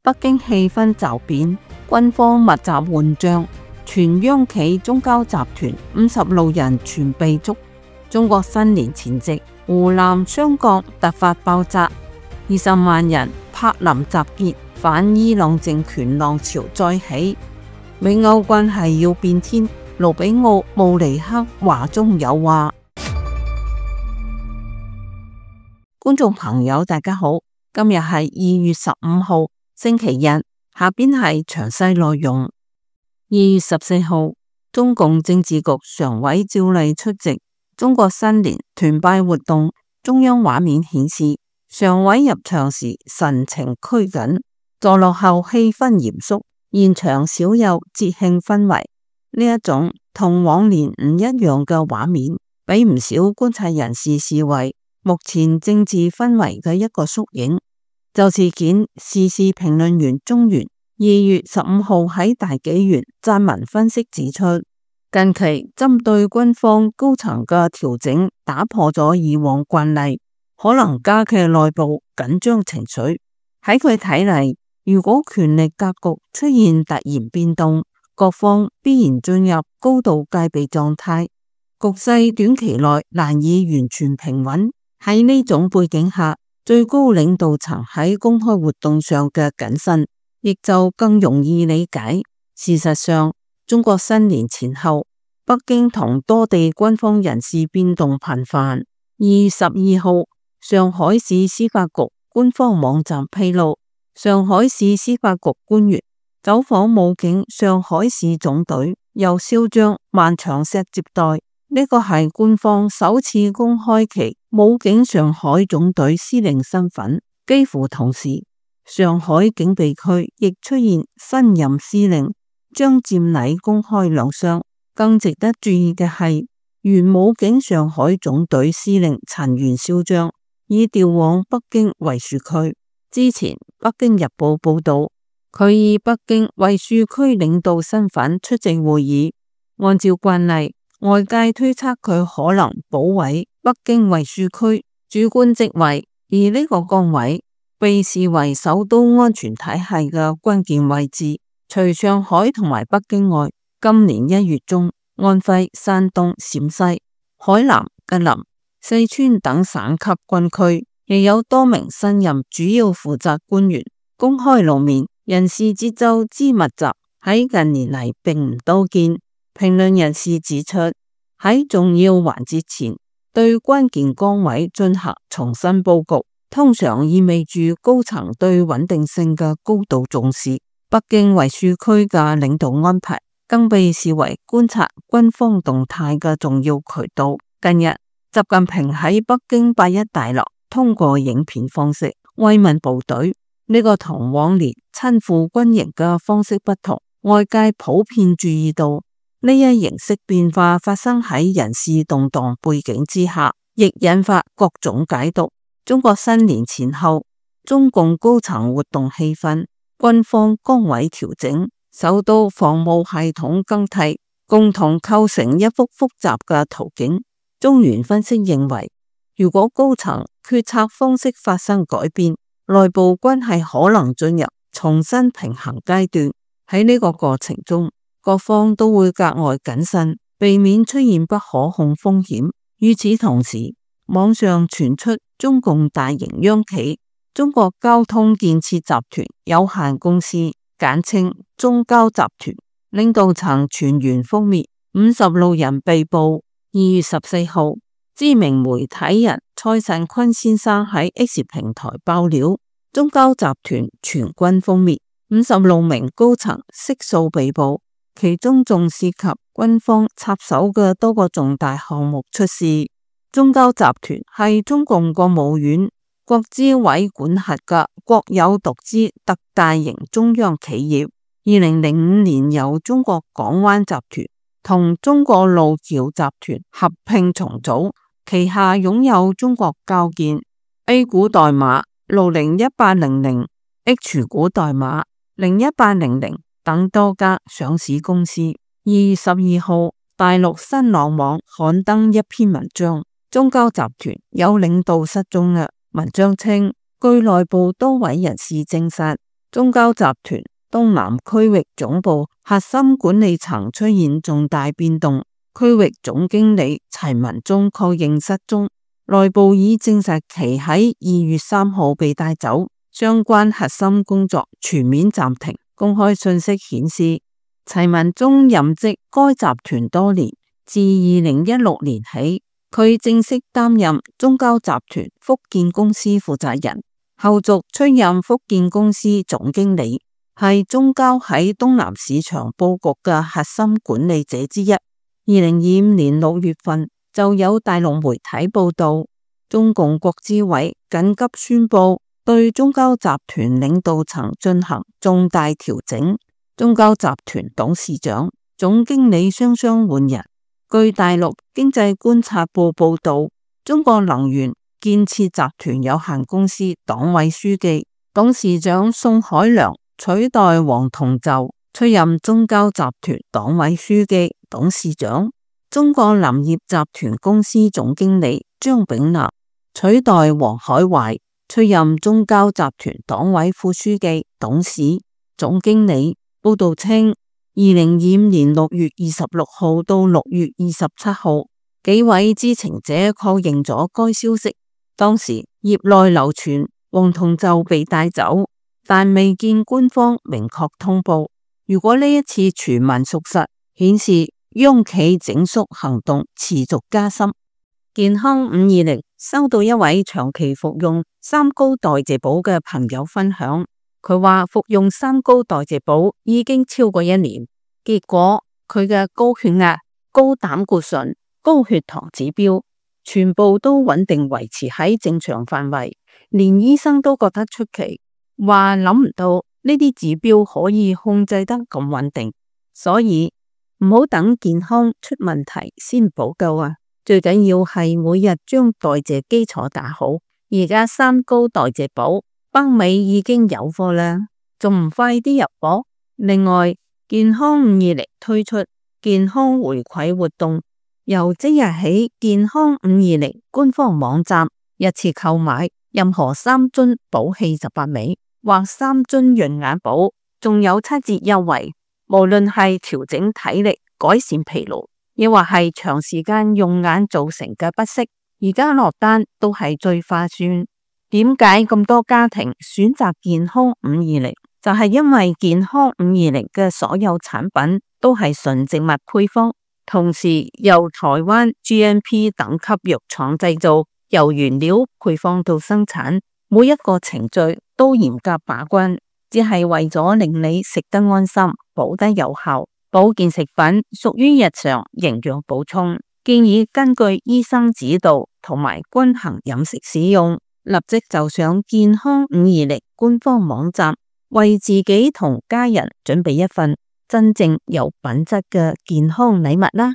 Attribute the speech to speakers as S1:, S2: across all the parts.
S1: 北京氣氛驟變，軍方密集換將，全央企中交集團56人全被捉。中國新年前夕，湖南湘江突發爆炸，20萬人柏林集結，反伊朗政權浪潮再起。美歐關係要變天，盧比奧·慕尼黑話中有話。觀眾朋友大家好，今日係2月15號星期日，下邊係詳細內容。2月14號，中共政治局常委趙麗出席中國新年團拜活動，中央畫面顯示常委入場時神情拘謹，坐落後氣氛嚴肅，現場少有節慶氛圍。呢一種同往年唔一樣嘅畫面，俾唔少觀察人士視為目前政治氛圍嘅一個縮影。就事件，時事評論員鍾原2月15號喺大紀元撰文分析指出，近期針對軍方高層嘅調整打破咗以往慣例，可能加劇內部緊張情緒。喺佢睇嚟，如果權力格局出現突然變動，各方必然進入高度戒備狀態，局勢短期內難以完全平穩。喺呢種背景下，最高領導層喺公開活動上嘅謹慎，亦就更容易理解。事實上，中國新年前後，北京同多地軍方人事變動頻繁。2月12號，上海市司法局官方網站披露，上海市司法局官員走訪武警上海市總隊，由少將萬長石接待。呢個係官方首次公開其武警上海總隊司令身份。幾乎同時，上海警備區亦出現新任司令張占禮公開亮相。更值得注意嘅係，原武警上海總隊司令陳元少將已調往北京衛戍區。之前北京日報報道，佢以北京衛戍區領導身份出席會議。按照慣例，外界推測佢可能保委北京衛戍區主管職位，而呢個崗位被視為首都安全體系嘅關鍵位置。除上海同埋北京外，今年1月中，安徽、山東、陝西、海南、吉林、四川等省級軍區亦有多名新任主要負責官員公開露面，人事節奏之密集，喺近年嚟並唔多見。評論人士指出，喺重要環節前對關鍵崗位進行重新佈局，通常意味住高層對穩定性嘅高度重視。北京衛戍區嘅領導安排更被視為觀察軍方動態嘅重要渠道。近日，習近平喺北京8·1大樓通過影片方式慰問部隊，呢個同往年親赴軍營嘅方式不同。外界普遍注意到，呢一形式變化發生喺人事動盪背景之下，亦引發各種解讀。中國新年前後，中共高層活動氣氛、軍方崗位調整、首都防務系統更替，共同構成一幅複雜嘅圖景。中原分析認為，如果高層決策方式發生改變，內部關係可能進入重新平衡階段。喺呢個過程中，各方都會格外謹慎，避免出現不可控風險。與此同時，網上傳出中共大型央企中國交通建設集團有限公司簡稱中交集團領導層全員覆滅，56人被捕。2月14號，知名媒體人蔡慎坤先生喺 X 平台爆料，中交集團全軍覆滅，56名高層悉數被捕。其中仲涉及軍方插手嘅多個重大項目出事。中交集團係中共國務院國資委管轄嘅國有獨資特大型中央企業。2005年由中國港灣集團同中國路橋集團合併重組，旗下擁有中國交建 A 股代碼601800、H 股代碼01800等多家上市公司。2月12號，大陸新浪網刊登一篇文章，中交集團有領導失蹤嘅文章稱，據內部多位人士證實，中交集團東南區域總部核心管理層出現重大變動，區域總經理齊文忠確認失蹤，內部已證實其喺2月3號被帶走，相關核心工作全面暫停。公開信息顯示，齊文忠任職該集團多年，自2016年起，佢正式擔任中交集團福建公司負責人，後續出任福建公司總經理，係中交喺東南市場佈局嘅核心管理者之一。2025年6月份就有大陸媒體報道，中共國資委緊急宣布對中交集團領導層進行重大調整，中交集團董事長、總經理雙雙換人。據大陸經濟觀察報報道，中國能源建設集團有限公司黨委書記、董事長宋海良取代王同宙出任中交集團黨委書記、董事長。中國林業集團公司總經理張炳南取代王海懷出任中交集團黨委副書記、董事、總經理。報道稱，2025年6月26號到6月27號，幾位知情者確認咗該消息。當時業內流傳王同宙被帶走，但未見官方明確通報。如果呢一次傳聞屬實，顯示央企整肅行動持續加深。健康520收到一位長期服用三高代謝寶嘅朋友分享，佢話服用三高代謝寶已經超過1年，結果佢嘅高血壓、高膽固醇、高血糖指標全部都穩定維持喺正常範圍，連醫生都覺得出奇，話諗唔到呢啲指標可以控制得咁穩定，所以唔好等健康出問題先補救啊！最緊要係每日將代謝基礎打好。而家三高代謝寶北美已經有貨啦，仲唔快啲入貨？另外，健康520推出健康回饋活動，由即日起，健康520官方網站一次購買任何3樽寶氣18味或3樽潤眼寶，仲有7折優惠。無論係調整體力、改善疲勞，亦或係長時間用眼造成嘅不適，而家落單都係最划算。點解咁多家庭選擇健康520？就係因為健康520嘅所有產品都係純植物配方，同時由台灣 GMP 等級藥廠製造，由原料配方到生產，每一個程序都嚴格把關，只係為咗令你食得安心，補得有效。保健食品屬於日常營養補充，建議根據醫生指導同埋均衡飲食使用。立即就上健康520官方網站，為自己同家人準備一份真正有品質嘅健康禮物啦！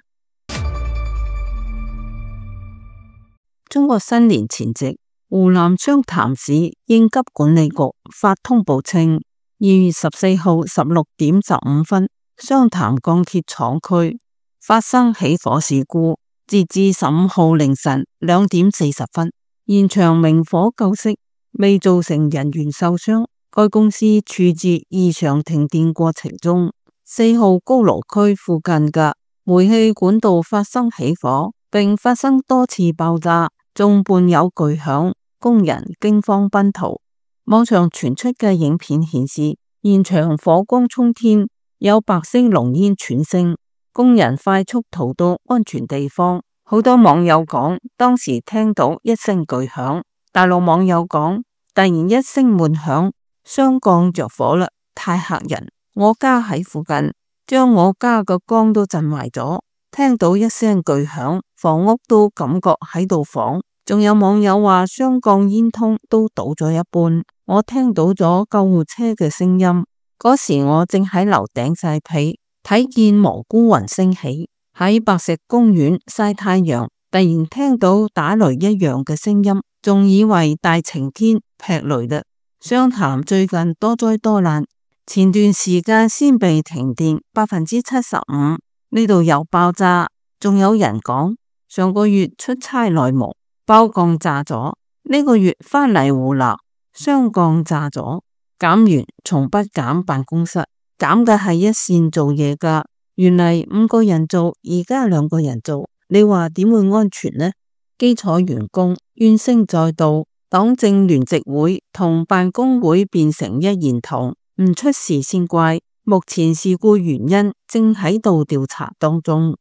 S1: 中國新年前夕，湖南湘潭市應急管理局發通報稱，2月14號16點15分，湘潭鋼鐵廠區發生起火事故，截至15號凌晨2點40分。現場明火救熄，未造成人員受傷。該公司處置異常停電過程中，4號高爐區附近嘅煤氣管道發生起火，並發生多次爆炸，仲伴有巨響，工人驚慌奔逃。網上傳出嘅影片顯示，現場火光衝天，有白色濃煙竄升，工人快速逃到安全地方。好多網友講，當時聽到一聲巨響。大陸網友講，突然一聲悶響，雙鋼着火啦，太嚇人！我家喺附近，將我家個缸都震壞咗。聽到一聲巨響，房屋都感覺喺度晃。仲有網友話，雙鋼煙囪都倒咗一半。我聽到咗救護車嘅聲音，嗰時我正喺樓頂曬被，睇見蘑菇雲升起。喺白石公園曬太陽，突然聽到打雷一樣嘅聲音，仲以為大晴天劈雷嘞。湘潭最近多災多難，前段時間先被停電75%，呢度又爆炸，仲有人講上個月出差內蒙包鋼炸咗，呢個月返嚟湖南雙鋼炸咗。減員從不減辦公室，減嘅係一線做嘢噶。原嚟5個人做，而家2個人做，你話點會安全呢？基礎員工怨聲載道，黨政聯席會同辦公會變成一言堂，唔出事先怪。目前事故原因正喺度調查當中。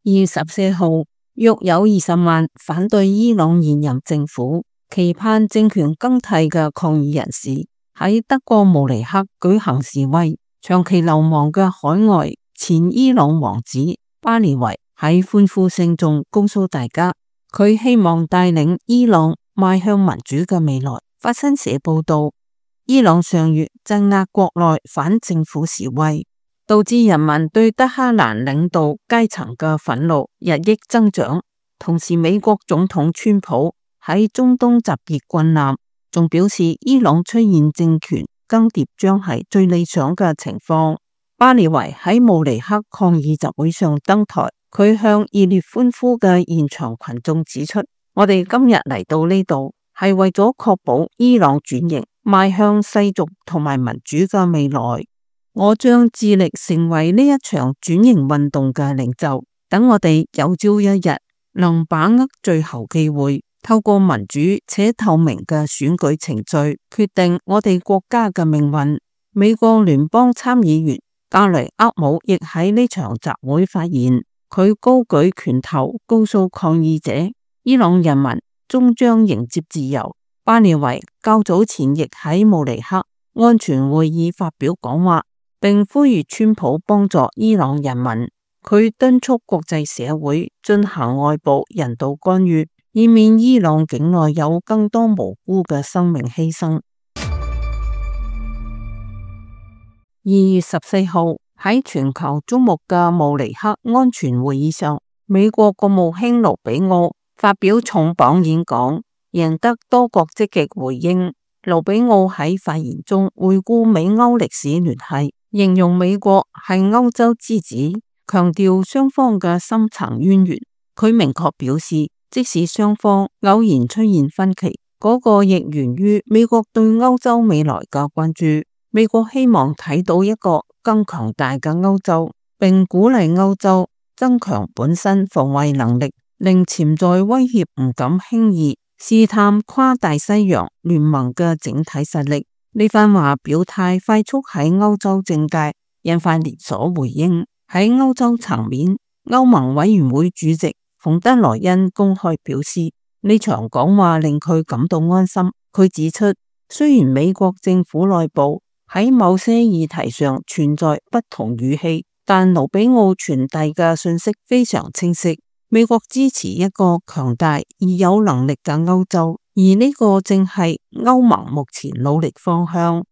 S1: 2月14號，約有20萬反對伊朗現任政府、期盼政權更替嘅抗議人士喺德國慕尼黑舉行示威。長期流亡嘅海外前伊朗王子巴列維喺歡呼聲中告訴大家，佢希望帶領伊朗邁向民主嘅未來。法新社報道，伊朗上月鎮壓國內反政府示威，導致人民對德黑蘭領導階層嘅憤怒日益增長。同時，美國總統川普喺中東集結軍艦，仲表示伊朗出現政權更迭將係最理想嘅情況。巴列維喺慕尼黑抗議集會上登台，佢向熱烈歡呼嘅現場群眾指出，我哋今日嚟到呢度係為咗確保伊朗轉型邁向世俗同埋民主嘅未來。我將致力成為呢一場轉型運動嘅領袖，等我哋有朝一日能把握最後機會，透過民主且透明嘅選舉程序決定我哋國家嘅命運。美國聯邦參議員格雷厄姆亦喺呢場集會發言，佢高舉拳頭告訴抗議者，伊朗人民終將迎接自由。巴列維較早前亦喺慕尼黑安全會議發表講話，並呼籲川普幫助伊朗人民。佢敦促國際社會進行外部人道干預，以免伊朗境內有更多無辜嘅生命犧牲。2月14號，喺全球矚目嘅慕尼黑安全會議上，美國國務卿盧比奧發表重磅演講，贏得多國積極回應。盧比奧喺發言中回顧美歐歷史聯繫，形容美國係歐洲之子，強調雙方嘅深層淵源。佢明確表示，即使雙方偶然出現分歧，嗰個亦源於美國對歐洲未來嘅關注。美國希望睇到一個更強大嘅歐洲，並鼓勵歐洲增強本身防衛能力，令潛在威脅唔敢輕易試探跨大西洋聯盟嘅整體實力。呢番話表態快速喺歐洲政界引發連鎖回應。喺歐洲層面，歐盟委員會主席馮德萊恩公開表示，呢場講話令佢感到安心。佢指出，雖然美國政府內部喺某些議題上存在不同語氣，但盧比奧傳遞嘅信息非常清晰。美國支持一個強大而有能力嘅歐洲，而呢個正係歐盟目前努力方向。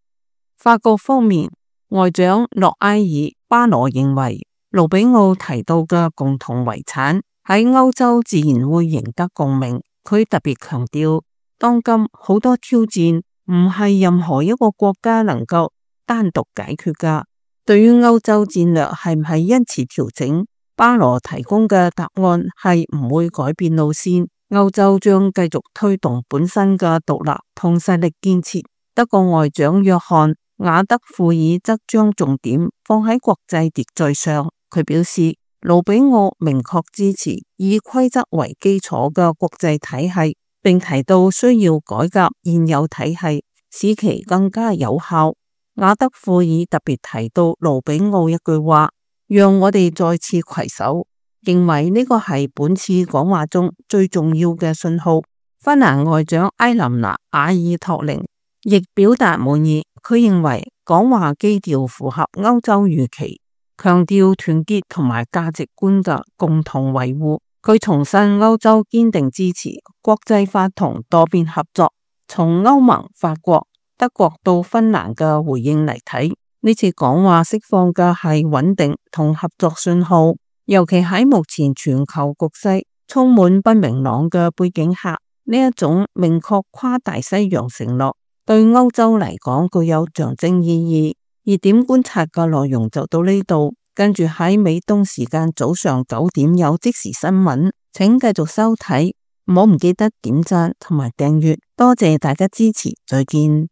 S1: 法國方面，外長諾埃爾巴羅認為，盧比奧提到嘅共同遺產喺歐洲自然會贏得共鳴。佢特別強調，當今好多挑戰唔係任何一個國家能夠單獨解決㗎。對於歐洲戰略係唔係因此調整，巴羅提供嘅答案係唔會改變路線。歐洲將繼續推動本身嘅獨立同實力建設。德國外長約翰瓦德庫爾則將重點放喺國際秩序上。佢表示，盧比奧明確支持以規則為基礎嘅國際體系，並提到需要改革現有體系，使其更加有效。瓦德庫爾特別提到盧比奧一句話，讓我哋再次攜手，認為呢個係本次講話中最重要嘅信號。芬蘭外長埃琳娜瓦爾托寧亦表達滿意，佢認為講話基調符合歐洲預期，強調團結同埋價值觀嘅共同維護。佢重申歐洲堅定支持國際法同多邊合作。從歐盟、法國、德國到芬蘭嘅回應嚟睇，呢次講話釋放嘅係穩定同合作信號，尤其喺目前全球局勢充滿不明朗嘅背景下，呢一種明確跨大西洋承諾對歐洲嚟講具有象徵意義。熱點觀察嘅內容就到呢度，跟住喺美東時間早上9點有即時新聞，請繼續收睇唔好唔記得點讚同埋訂閱，多謝大家支持，再見。